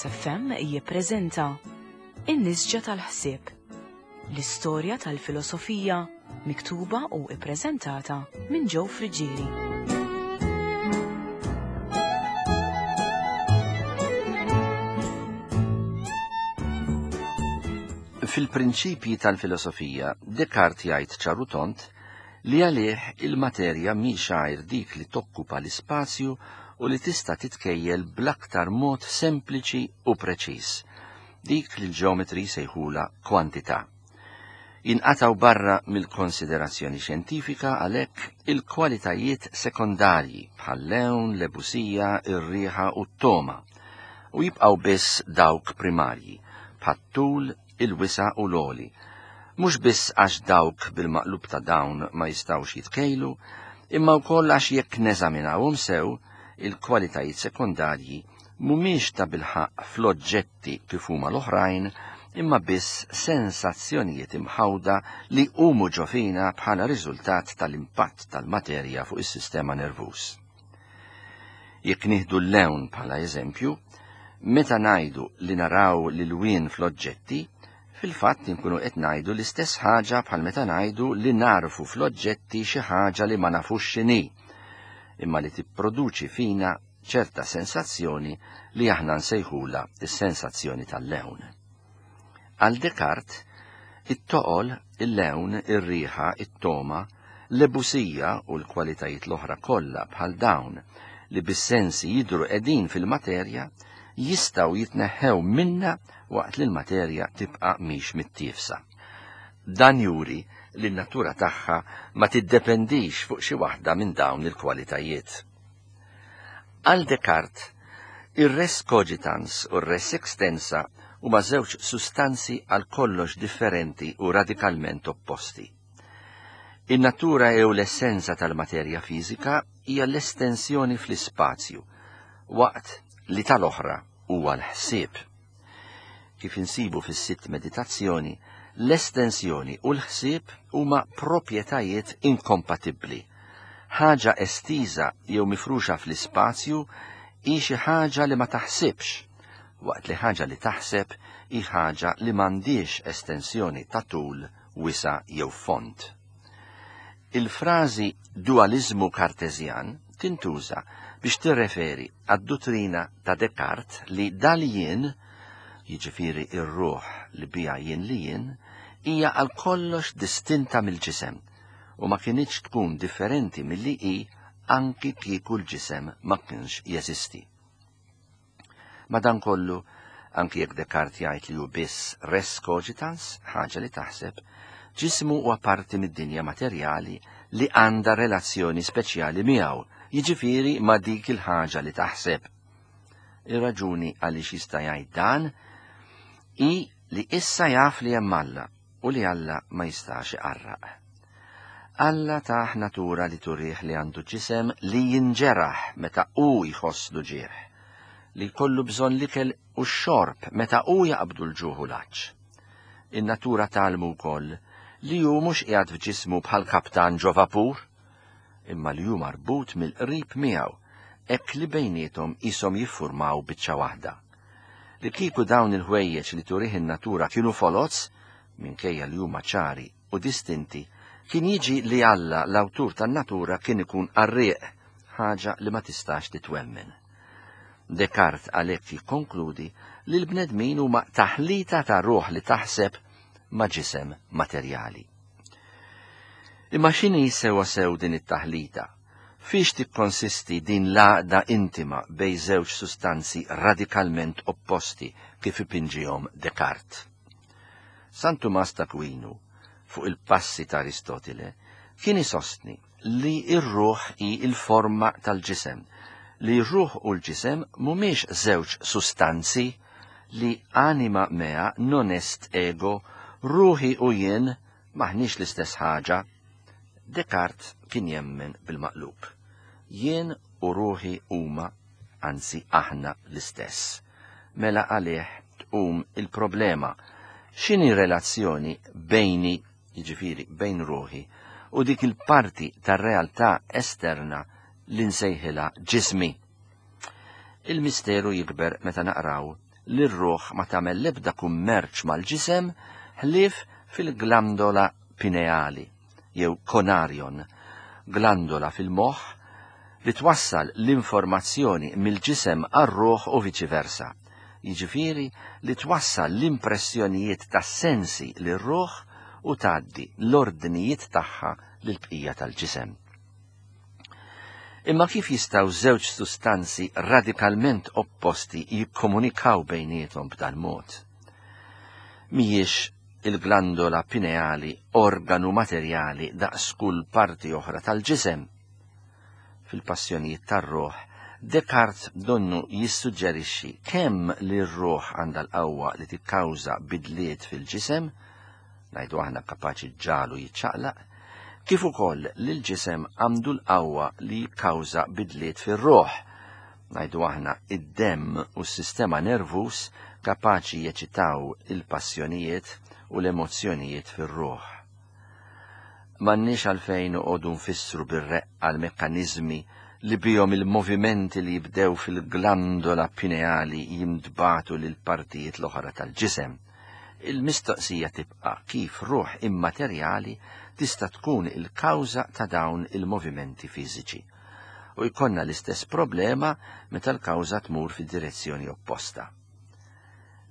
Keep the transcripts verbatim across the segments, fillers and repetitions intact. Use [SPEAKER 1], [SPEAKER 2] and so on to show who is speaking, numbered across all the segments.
[SPEAKER 1] Veritas F M jippreżenta In-Nisġa tal-Ħsieb, l-istorja tal-filosofija miktuba u ippreżentata minn Joe Friggieri.
[SPEAKER 2] Fil-prinċipji tal-filosofija, Descartes jgħid ċar u tond li għalih il-materja mhix għajr dik li tokkupa l-ispazju u li tista' titkejjel bl-aktar mod sempliċi u preċiż, dik li l-ġeometri sejħula kwantità. Jinqataw barra mill-konsiderazzjoni xjentifika għalhekk il-kwalitajiet sekondarji bħal-lewn, l-ebusija, ir-riħa u t-toma, u jibqgħu biss dawk primarji bħat-tul, il-wisa' u l-għoli. Mhux biss għax dawk bil-maqlub ta' dawn ma jistgħux jitkejlu, imma wkoll għax jekk neżaminawhom sew, il-kwalitajiet sekondarji mhumiex ta' bilħaqq fl-oġġetti kif huma l-oħrajn, imma biss sensazzjonijiet imħawda li huma ġo fina bħala riżultat tal-impatt tal-materja fuq is-sistema nervuż. Jekk nieħdu l-lewn bħala eżempju, meta ngħidu li naraw l-ilwien fl-oġġetti, fil-fatt inkunu qed ngħidu l-istess ħaġa bħal meta ngħidu li narfu fl-oġġetti xi ħaġa li ma nafux x'inhi, imma li tipproduċi fina ċerta sensazzjoni li aħna nsejħula s-sensazzjoni tal-lewn. Għal Descartes, it-toqol, il-lewn, ir-riħa, it-toma, l-ebusija u l-kwalitajiet l-oħra kollha bħal dawn li bis-sensi jidhru qegħdin fil-materja jistgħu jitneħħew minna waqt li l-materja tibqa' mhix mittiefsa. Dan juri li n-natura tagħha ma tiddependix fuq xi waħda minn dawn il-kwalitajiet. Għal Descartes, ir-res cogitans u r-res extensa huma żewġ sustanzi għal kollox differenti u radikalment opposti. In-natura jew l-essenza tal-materja fiżika hija l-estensjoni fl-ispazju, waqt li tal-oħra huwa l-ħsieb. Kif insibu fis-sitt meditazzjoni, l-estensjoni u l-ħsieb huma proprjetajiet inkompatibbli. Ħaġa estiża jew mifruxa fl-ispazju hi xi ħaġa li ma taħsibx, waqt li ħaġa li taħseb hi ħaġa li m'għandhiex estensjoni ta' tul, wisa' jew fond. Il-frażi dualizmu kartezjan tintuża biex tirreferi għad-duttrina ta' Descartes li dal-jien, jiġifieri ir-ruħ li biha jien li jien, hija għal kollox distinta mill-ġisem u ma kinitx tkun differenti milli hi anki kieku l-ġisem ma kienx jeżisti. Madankollu, anki jekk Descartes jgħid li hu biss res cogitans, ħaġa li taħseb, ġismu huwa parti mid-dinja materjali li għandha relazzjoni speċjali miegħu, jiġifieri ma' dik il-ħaġa li taħseb. Ir-raġuni għaliex jista' jgħid dan hi li issa jaf li hemm Alla u li Alla ma jistax iqarraq. Alla tah natura li turih li għandu ġisem li jinġeraħ meta hu jħoss l-ġieħ, li jkollu bżonn l-ikel u x-xorb meta hu jaqbdu l-ġuħ u l-għatx. In-natura tgħallmu wkoll li hu mhux qiegħed f'ġismu bħal kaptan ġo vapur, imma li hu marbut mill-qrib miegħu, hekk li bejniethom qishom jiffurmaw biċċa waħda. Li kieku dawn il-ħwejjeġ li turih in-natura kienu foloz, minkejja li huma ċari u distinti, kien jiġi li Alla, l-awtur tan-natura, kien ikun qarrieq, ħaġa li ma tistax titwemmen. Descartes għalhekk jikkonkludi li l-bnedmin huma taħlita ta' ruħ li taħseb ma' ġisem materjali. Imma x'inhi sewa sew din it-taħlita? Fiex tikkonsisti din l-għaqda intima bejn żewġ sustanzi radikalment opposti kif ipinġihom Descartes? San Tumas t'Akwinu, fuq il-passi ta' Aristotile, kien isostni li r-ruħ hi l-forma tal-ġisem, li r-ruħ u l-ġisem mhumiex żewġ sustanzi, li anima mea non est ego, ruħi u jien maħniex l-istess ħaġa. Descartes kien jemmen bil-maqlub. Jien u ruħi huma, anzi aħna l-istess. Mela għalih tqum il-problema. X'inhi relazzjoni bejni, jiġifieri bejn ruħi, u dik il-parti tar-realtà esterna li nsejħilha ġismi? Il-misteru jikber meta naqraw li r-ruħ ma tagħmel l-ebda kummerċ mal-ġisem ħlief fil-glandola pineali jew konarion, glandola fil-moħħ li twassal l-informazzjoni mill-ġisem għar-ruħ u viċi versa. Jiġifieri li twassal l-impressjonijiet tas-sensi lir-ruħ u tgħaddi l-ordnijiet tagħha lill-bqija tal-ġisem. Imma kif jistgħu żewġ sustanzi radikalment opposti jikkomunikaw bejniethom b'dan mod? Mhijiex il-glandola pineali organu materjali daqs kull parti oħra tal-ġisem? Fil-Passjonijiet tar-Ruħ, Descartes donnu jissuġġerixxi kemm li r-ruħ għandha l-qawwa li tikkawża bidliet fil-ġisem, ngħidu aħna kapaċi ġġagħlu jiċċaqlaq, kif ukoll li l-ġisem għandu l-qawwa li jikkawża bidliet fir-ruħ, ngħidu aħna id-demm u s-sistema nervuż kapaċi jeċitaw il-passjonijiet u l-emozzjonijiet fir-ruħ. M'għandniex għalfejn noqogħdu nfissru bir-reqqa l-mekkaniżmi li bihom il-movimenti li jibdew fil-glandola pineali jintbagħtu lil partijiet l-oħra tal-ġisem. Il-mistoqsija tibqa' kif ruħ immaterjali tista' tkun il-kawża ta' dawn il-movimenti fiżiċi. U jkollna l-istess problema meta l-kawża tmur fid-direzzjoni opposta.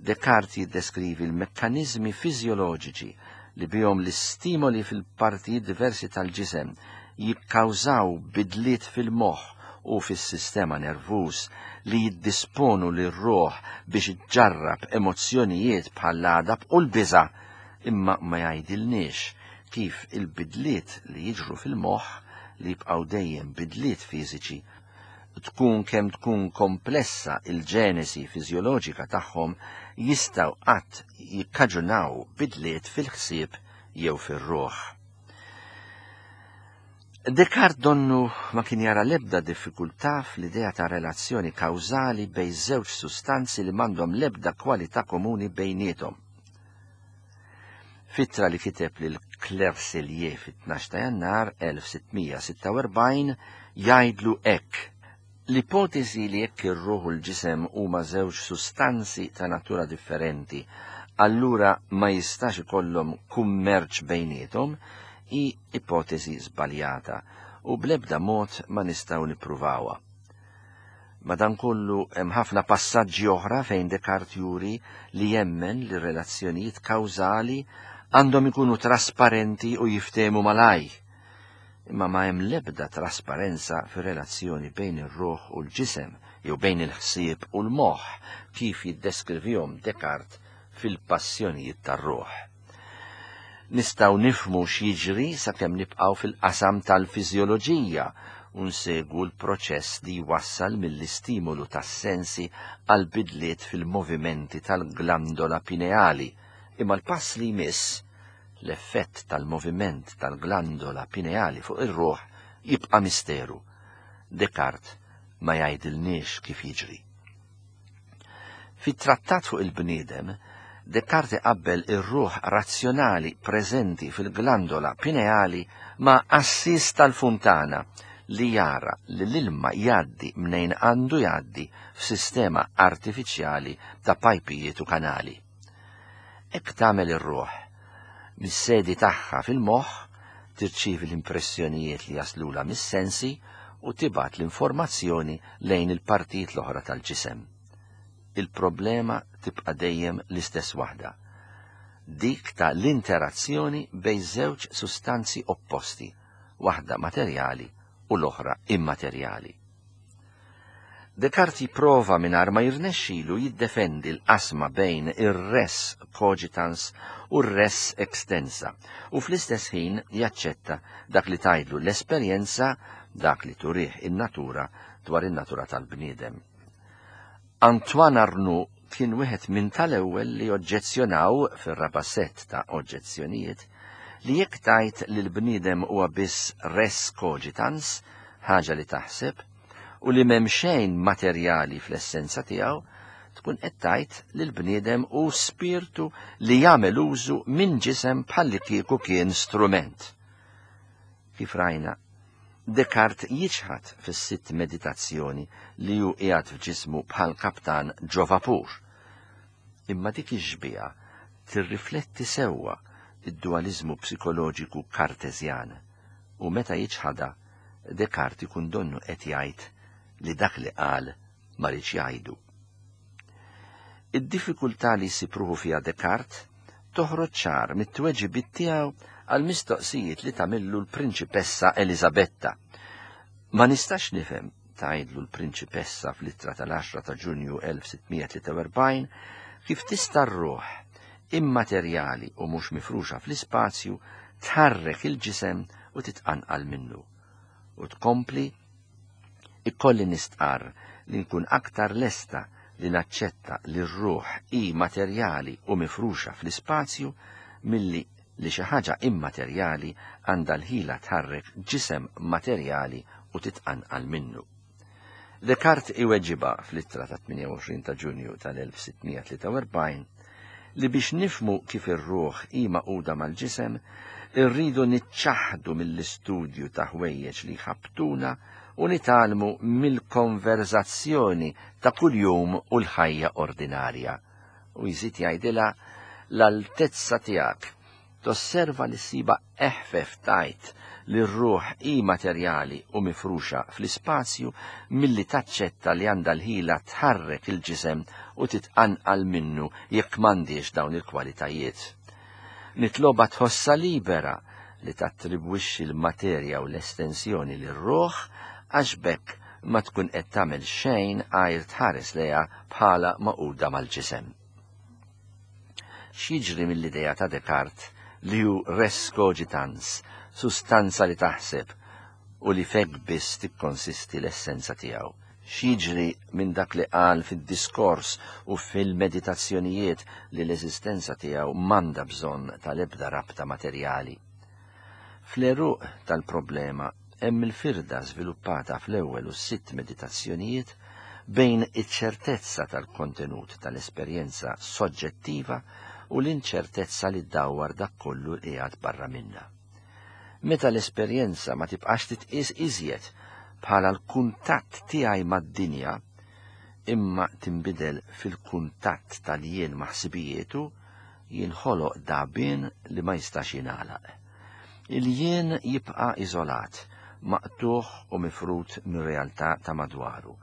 [SPEAKER 2] Descartes jiddeskrivi l-mekkaniżmi fiżjoloġiċi li bihom l-istimoli fil-partijiet diversi tal-ġisem jikkawżaw bidliet fil-moħħ u fis-sistema nervuż li jiddisponu lir-ruħ biex iġġarrab emozzjonijiet bħall-għadab u l-biża', imma ma jgħidilniex kif il-bidliet li jiġru fil-moħħ li jibqgħu dejjem bidliet fiżiċi, tkun kemm tkun komplessa il-ġenesi fiżjoloġika tagħhom, jistgħu qatt jikkaġunaw bidliet fil-ħsieb jew fir-ruħ. Descartes donnu ma kien jara l-ebda diffikultà fl-idea ta' relazzjoni kawżali bejn żewġ sustanzi li m'għandhom l-ebda kwalità komuni bejniethom. F'ittra li kiteb lil Clerselier fit-tnax ta' Jannar elf sittmija sitta u erbgħin jgħidlu hekk: l-ipotezi li jekk ir-ruħ u l-ġisem huma żewġ sustanzi ta' natura differenti, allura ma jistax ikollhom kummerċ bejniethom, hi ipotezi żbaljata u bl-ebda mod ma nistgħu nippruvawha. Madankollu hemm ħafna passaġġi oħra fejn Descartes juri li jemmen li relazzjonijiet kawżali għandhom ikunu trasparenti u jiftehmu malaj. Imma ma hemm l-ebda trasparenza fir-relazzjoni bejn ir-ruħ u l-ġisem jew bejn il-ħsieb u l-moħħ kif jiddeskrivihom Descartes fil-Passjonijiet tar-Ruħ. Nistgħu nifhmu x'jiġri sakemm nibqgħu fil-qasam tal-fiżjoloġija u nsegwu l-proċess li jwassal mill-istimolu tas-sensi għal bidliet fil-movimenti tal-glandola pineali. Imma l-pass li jmiss, l-effett tal-moviment tal-glandola pineali fuq ir-ruħ, jibqa' misteru. Descartes ma jgħidilniex kif jiġri. Fit-trattat fuq il-bniedem, Descartes qabbel ir-ruħ razzjonali preżenti fil-glandola pineali ma' qassis tal-funtana li jara li l-ilma jgħaddi mnejn għandu jgħaddi f'sistema artifiċjali ta' pajpijiet u kanali. Hekk tagħmel ir-ruħ. Mis-sedi tagħha fil-moħħ tirċievi l-impressjonijiet li jaslula mis-sensi u tibgħat l-informazzjoni lejn il-partijiet l-oħra tal-ġisem. Il-problema tibqa' dejjem l-istess waħda, dik ta' l-interazzjoni bejn żewġ sustanzi opposti, waħda materjali u l-oħra immaterjali. Descartes jipprova mingħajr ma jirnexxilu jiddefendi l-qasma bejn ir-res cogitans u r-res extensa u fl-istess ħin jaċċetta dak li tgħidlu l-esperjenza, dak li turih in-natura dwar in-natura tal-bniedem. Antoine Arnauld kien wieħed minn tal-ewwel li oġġezzjonaw fir-raba' set ta' oġġezzjonijiet li jekk tgħid li l-bniedem huwa biss res cogitans, ħaġa li taħseb, u li m'hemm xejn materjali fl-essenza tiegħu, tkun qed tgħid li l-bniedem hu spirtu li jagħmel użu minn ġisem bħalli kieku kien strument. Kif rajna, Descartes jiċħad fis-sitt meditazzjoni li hu qiegħed f'ġismu bħal kaptan ġo vapur. Imma dik ix-xbieha tirrifletti sewwa id-dualiżmu psikoloġiku Karteżjan, u meta jiċħadha Descartes ikun donnu qed jgħid li dak li qal ma riedx jgħidu. Id-diffikultà li jsib ruħu fiha Descartes toħroġ ċar mit-tweġibiet tiegħu għal mistoqsijiet li tagħmillu l-prinċipessa Eliżabetta. Ma nistax nifhem, tgħidlu l-prinċipessa fl-ittra tal-għaxra ta' Ġunju elf sitt mija tlieta u erbgħin, kif tista' r-ruħ immaterjali u mhux mifruxa fl-ispazju tħarrek il-ġisem u titqanqal minnu. U tkompli, ikolli nistqarr li nkun aktar lesta li naċċetta li r-ruħ hi materjali u mifruxa fl-ispazju milli li xi ħaġa immaterjali għandha l-ħila tħarrek ġisem materjali u titqanqal minnu. Descartes iweġiba fl-ittra ta' tmienja u għoxrin ta' Ġunju tal-elf sitt mija tlieta u erbgħin li biex nifmu kif ir-ruħ hi maquda mal-ġisem, irridu niċċaħdu mill-istudju ta' ħwejjeġ li ħabtuna u nitgħallmu mill-konverzazzjoni ta' kuljum u l-ħajja ordinarja. U jżid jgħidilha l-altezza tiegħek tosserva li ssiba eħfef tajt li r-ruħ hi materjali u mifruxa fl-ispazju milli taċċetta li għandha l-ħila tħarrek il-ġisem u titqanqal minnu jekk m'għandix dawn il-kwalitajiet. Nitloba tħossa libera li tattribwixxi l-materja u l-estensjoni lir-ruħ għax bekk ma tkun qed tagħmel xejn għajr tħares lejha bħala maquda mal-ġisem. X'jiġri mill-idea ta' Descartes li hu res cogitans, sustanza li taħseb u li fek biss tikkonsisti l-essenza tiegħu? X'jiġri minn dak li qal fid-diskors u fil-meditazzjonijiet li l-eżistenza tiegħu m'għandha bżonn tal-ebda rabta materjali? Fl-għeruq tal-problema hemm il-firda żviluppata fl-ewwel u sitt meditazzjonijiet bejn iċ-ċertezza tal-kontenut tal-esperjenza soġġettiva u l-inċertezza li ddawwar dak kollu li qiegħed barra minna. Meta l-esperjenza ma tibqax titqies iżjed bħala l-kuntatt tiegħi mad-dinja, imma tinbidel fil-kuntatt tal-jien ma' ħsibijietu, jinħoloq dabien li ma jistax jingħalaq. Il-jien jibqa' iżolat, maqtuħ u mifrut mir-realtà ta' madwaru.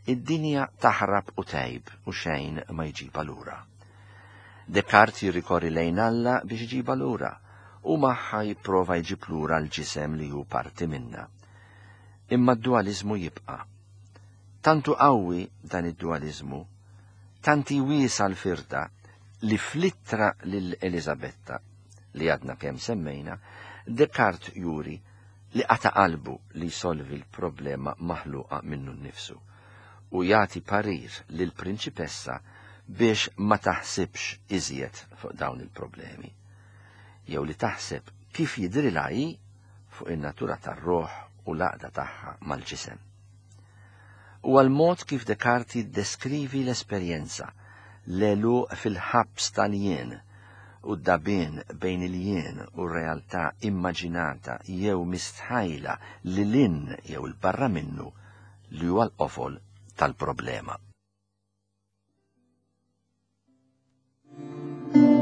[SPEAKER 2] Id-dinja taħrab u tgħib u xejn ma jġibha lura. Descartes jirrikorri lejn Alla biex iġibha lura u magħha jipprova jġib lura l-ġisem li hu parti minna. Imma d-dualizmu jibqa'. Tantu qawwi dan id-dualizmu, tanti wiesa l-firda li fl-ittra lil Eliżabetta li għadna kemm semmejna, Descartes juri li qata' qalbu li jsolvi l-problema maħluqa minnu nnifsu u jagħti parir lill-prinċipessa biex ma taħsibx iżjed fuq dawn il-problemi, jew li taħseb kif jidrilha hi fuq in-natura tar-ruħ u l-għaqda tagħha mal-ġisem. U għal-mod kif Descartes jiddeskrivi l-esperjenza, l-għeluq fil-ħabs tal-jien u d-dabien bejn il-jien u r-realtà immaġinata jew mistħajla li lin jew il-barra minnu li huwa l-qofol tal-problema.
[SPEAKER 3] Thank you.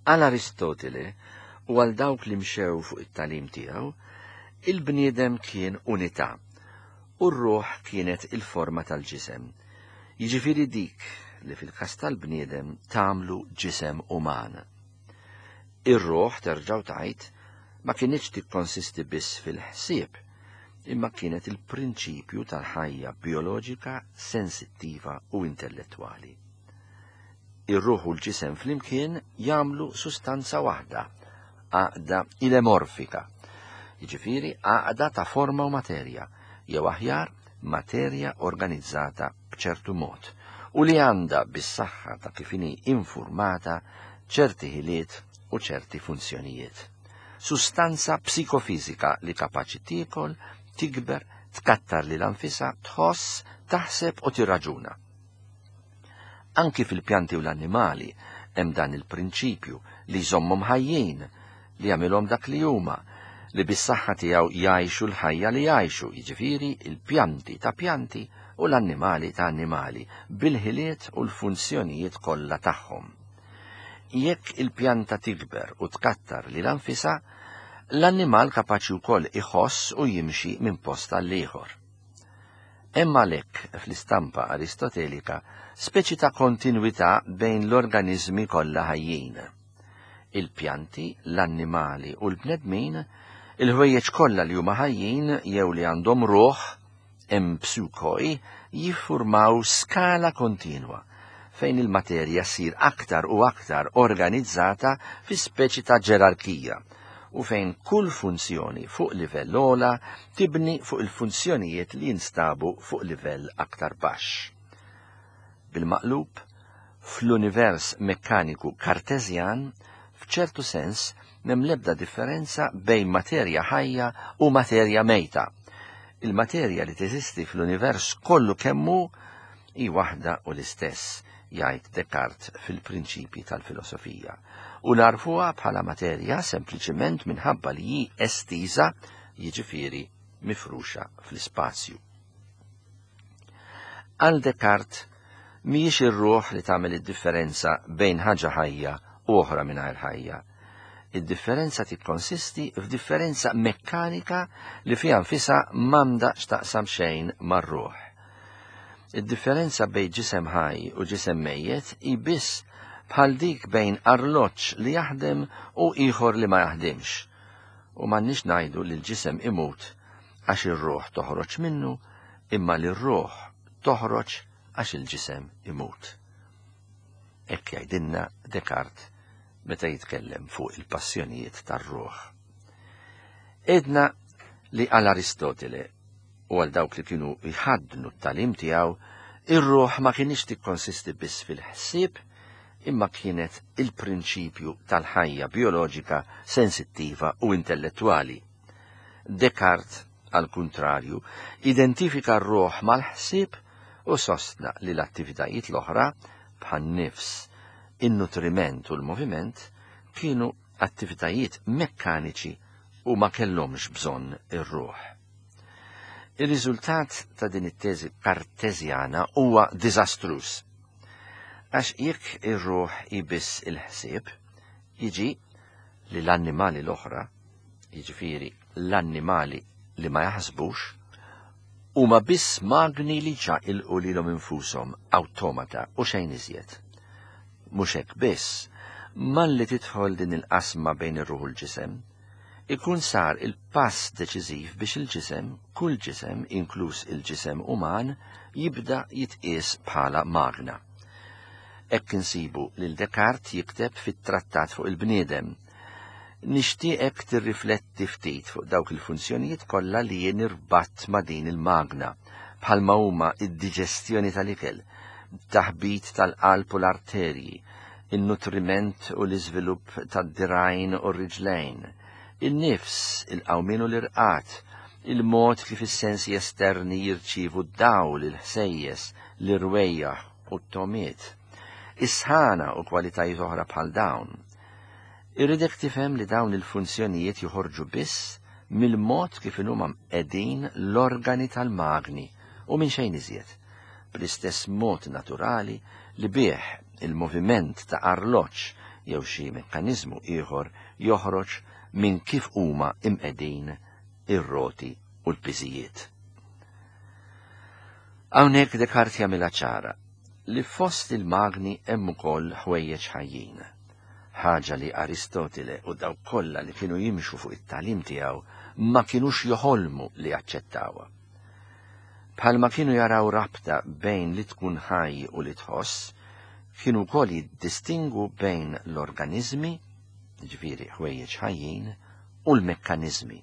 [SPEAKER 2] Għal Aristotele u għal dawk li mxew fuq it-tagħlim tiegħu, il-bniedem kien unità u r-ruħ kienet il-forma tal-ġisem. Jiġifieri dik li fil-każ tal-bniedem tagħmlu ġisem uman. Ir-ruħ, terġa' tgħid, ma kinitx tikkonsisti biss fil-ħsieb, imma kienet il-prinċipju tal-ħajja bioloġika, sensittiva u intellettwali. Ir-ruħ u l-ġisem flimkien jagħmlu sustanza waħda, għaqda ilemorfika, jiġifieri għaqda ta' forma u materja, jew aħjar materja organizzata b'ċertu mod, u li għandha bis-saħħa ta' kif inhi informata ċerti ħiliet u ċerti funzjonijiet. Sustanza psikofizika li kapaċi tiekol, tikber, tkattar lilha nfisha, tħoss, taħseb u tirraġuna. Anki fil-pjanti u l-annimali hemm dan il-prinċipju li jżommhom ħajjin, li jagħmilhom dak li huma, li bis-saħħa tiegħu jgħixu l-ħajja li jgħixu, jiġifieri il-pjanti ta' pjanti u l-annimali ta' annimali, bil-ħiliet u l-funzjonijiet kollha tagħhom. Jekk il-pjanta tikber u tkattar lilha nfisha, l-annimal kapaċi wkoll iħoss u jimxi minn post għal ieħor. Hemm għalhekk fl-istampa aristotelika speċi ta' kontinwità bejn l-organizmi kollha ħajjin. Il-pjanti, l-annimali u l-bnedmin, il-ħwejjeġ kollha li huma ħajjin jew li għandhom ruħ, empsukoi, jiffurmaw skala kontinwa fejn il-materja ssir aktar u aktar organizzata fi speċi ta' ġerarkija u fejn kull funzjoni fuq livell ogħla tibni fuq il-funzjonijiet li jinstabu fuq livell aktar baxx. Bil-maqlub, fl-univers mekkaniku kartezjan, f'ċertu sens, m'hemm l-ebda differenza bejn materja ħajja u materja mejta. Il-materja li teżisti fl-univers kollu kemmu hi waħda u l-istess, jgħid Descartes fil-prinċipji tal-filosofija, u narfuha bħala materja sempliċement minħabba li hi estiża, jiġifieri mifruxa fl-ispazju. Għal Descartes mhijiex ir-ruħ li tagħmel id-differenza bejn ħaġa ħajja u oħra mingħajr ħajja. Id-differenza tikkonsisti f'differenza mekkanika li fiha nfisha m'għandha x'taqsam xejn mar-ruħ. Id-differenza bejn ġisem ħaj u ġisem mejjet hi biss bħal dik bejn arloġġ li jaħdem u ieħor li ma jaħdimx. U m'għandniex ngħidu li l-ġisem imut għax ir-ruħ toħroġ minnu, imma li r-ruħ toħroġ għax il-ġisem imut. Hekk jgħidilna Descartes meta jitkellem fuq il-passjonijiet tar-ruħ. Edna li għal Aristotele u għal dawk li kienu jħaddnu t-tagħlim tiegħu, ir-ruħ ma kienx tikkonsisti biss fil-ħsieb, imma kienet il-prinċipju tal-ħajja bioloġika, sensittiva u intellettwali. Descartes, għal kuntrarju, identifika r-ruħ mal-ħsieb u sostna li l-attivitajiet l-oħra, bħan-nifs, in-nutriment u l-moviment, kienu attivitajiet mekkaniċi u ma kellhomx bżonn ir-ruħ. Ir-riżultat ta' din it-teżi kartezjana huwa diżastruż. Għax jekk ir-ruħ hi biss il-ħsieb, jiġi li l-annimali l-oħra, jiġifieri l-annimali li ma jaħsbux, huma biss magni li ċaqilqu lilhom infushom, awtomata u xejn iżjed. Mhux hekk biss, malli tidħol din il-qasma bejn ir-ruħ u l-ġisem, ikun sar il-pass deċiżiv biex il-ġisem, kull ġisem, inkluż il-ġisem uman, jibda jitqies bħala magna. Hekk insibu lil Descartes jikteb fit-trattat fuq il-bniedem. Nixtieqek tirrifletti ftit fuq dawk il-funzjonijiet kollha li jien irbatt ma' din il-magna, bħalma huma id-diġestjoni tal-ikel, taħbit tal-qalb u l-arterji, il-nutriment u l-iżvilupp tad-dirgħajn u r-riġlejn, il-nifs, il-qawmien u l-irqat, il-mod kif is-sensi esterni jirċievu d-dawl, il-ħsejjes, l-irwejjaħ u t-tomiet, is-sħana u kwalitajiet oħra bħal dawn. Irridek tifhem li dawn il-funzjonijiet joħorġu biss mill-mod kif huma qegħdin l-organi tal-magni u minn xejn iżjed, bl-istess mod naturali li bih il-moviment ta' arloġġ jew xi mekkaniżmu ieħor joħroġ minn kif huma imqegħdin ir-roti u l-piżijiet. Hawnhekk Descartes jagħmilha ċara li fost il-magni hemm ukoll ħwejjeġ ħajjin, ħaġa li Aristotile u dawk kollha li kienu jimxu fuq it-tagħlim tiegħu ma kinux joħolmu li jaċċettawha. Bħalma kienu jaraw rabta bejn li tkun ħaj u li tħoss, kienu wkoll jiddistingu bejn l-organizmi, ġifieri ħwejjeġ ħajjin, u l-mekkaniżmi.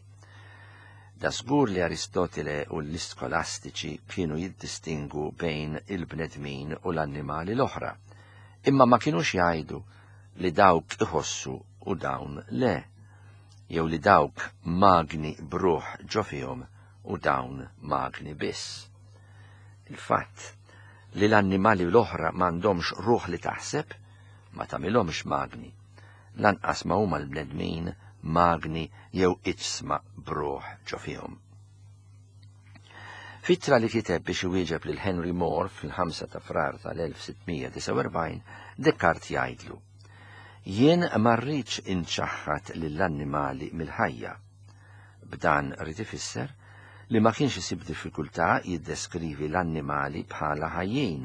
[SPEAKER 2] Da żgur li Aristotile u l-iskolastiċi kienu jiddistingu bejn il-bnedmin u l-annimali l-oħra, imma ma kinux jgħidu li dawk iħossu u dawn le, jew li dawk magni bruħ ġo fihom u dawn magni biss. Il-fatt li l-annimali l-oħra m'għandhomx ruħ li taħseb ma tagħmilhomx magni, lanqas ma huma l-bnedmin magni jew iġsma bruħ ġo fihom. F'ittra li kiteb biex iwieġeb lil Henry More fil-ħamsa ta' Frar tal-elf sitt mija disgħa u erbgħin, Descartes jgħidlu: Jien ma rridx inċaħħad lill-annimali mill-ħajja. B'dan rrid ifisser li ma kienx isib diffikultà jiddeskrivi l-annimali bħala ħajjin.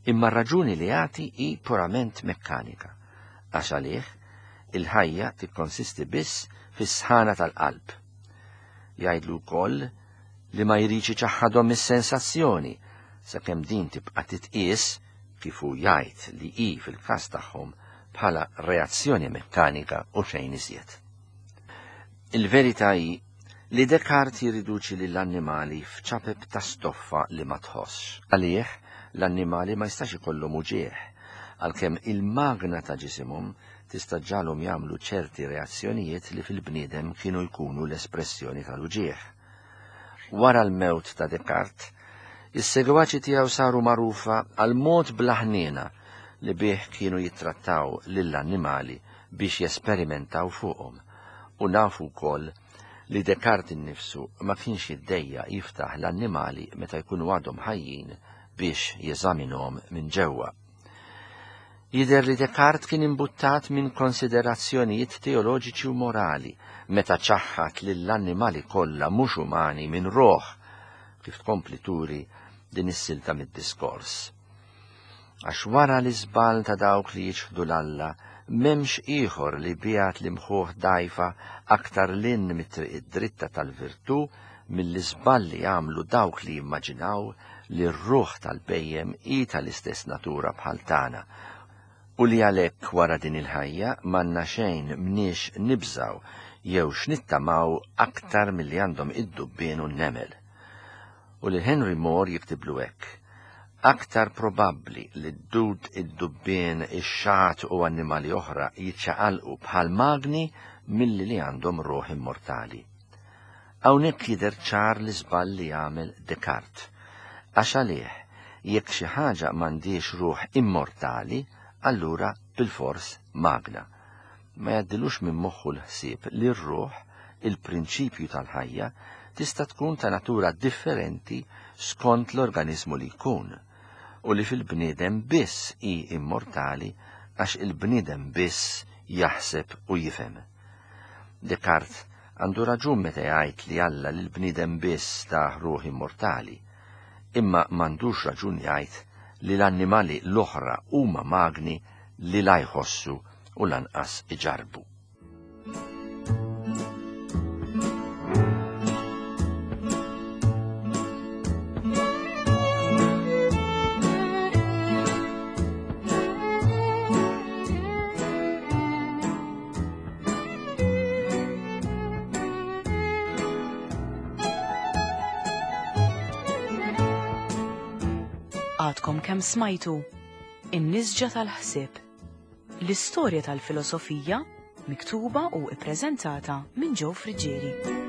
[SPEAKER 2] Imma r-raġuni li jagħti hi purament mekkanika, għax għalih il-ħajja tikkonsisti biss fis-sħana tal-qalb. Jgħidlu wkoll li ma jridx iċaħħadhom is-sensazzjoni sakemm din tibqa' titqies kif hu jgħid li hi fil-każ tagħhom bħala reazzjoni mekkanika u xejn iżjed. Il-verità hi li Descartes jirriduċi lill-annimali f'ċapep ta' stoffa li ma tħossx. Għalih l-annimali ma jistax ikollhom uġieħ, għalkemm il-magna ta' ġisimhom tista' ġalhom jagħmlu ċerti reazzjonijiet li fil-bniedem kienu jkunu l-espressjoni tal-uġieħ. Wara l-mewt ta' Descartes, is-segwaċi tiegħu saru magħrufa għal mod bla ħniena li bih kienu jittrattaw lill-annimali biex jesperimentaw fuqhom, u nafu wkoll li Descartes innifsu ma kienx jiddejja jiftaħ l-annimali meta jkunu għadhom ħajjin biex jeżaminhom minn ġewwa. Jidher li Descartes kien imbuttat minn konsiderazzjonijiet teoloġiċi u morali meta ċaħħat lill-annimali kollha mhux umani minn roħ, kif tkompli turi din is-silta mid-diskors. Għax wara l-iżball ta' dawk li jiċħdu l-Alla, m'hemmx ieħor li biegħat li mħuħ dajfa aktar lin mit-triq id-dritta tal-virtù mill-iżball li jagħmlu dawk li jimmaġinaw li r-ruħ tal-bejjem hi tal-istess natura bħal tagħna, u li għalhekk wara din il-ħajja m'għandna xejn mniex nibżaw jew x'nittamaw aktar milli għandhom id-dubbien u n-nemel. U li Henry More jiktiblu hekk: aktar probabbli li d-dud, id-dubbien, ix-xagħat u annimali oħra jiċċaqalqu bħal magni milli li għandhom ruħ immortali. Hawnhekk jidher ċar l-iżball li jagħmel Descartes, għax għalih jekk xi ħaġa m'għandhiex ruħ immortali, allura bilfors magna. Ma jgħaddilux minn moħħu l-ħsieb li r-ruħ, il-prinċipju tal-ħajja, tista' tkun ta' natura differenti skont l-organizmu li jkun, u li fil-bniedem biss hi immortali għax il-bniedem biss jaħseb u jifhem. Descartes għandu raġun meta jgħid li Alla lill-bniedem biss ta' ruħ immortali, imma m'għandux raġun jgħid li l-annimali l-oħra huma magni li la jħossu u lanqas iġarbu.
[SPEAKER 1] Għadkom kemm smajtu In-Nisġa tal-Ħsieb, l-istorja tal-filosofija miktuba u ippreżentata minn Joe Friggieri.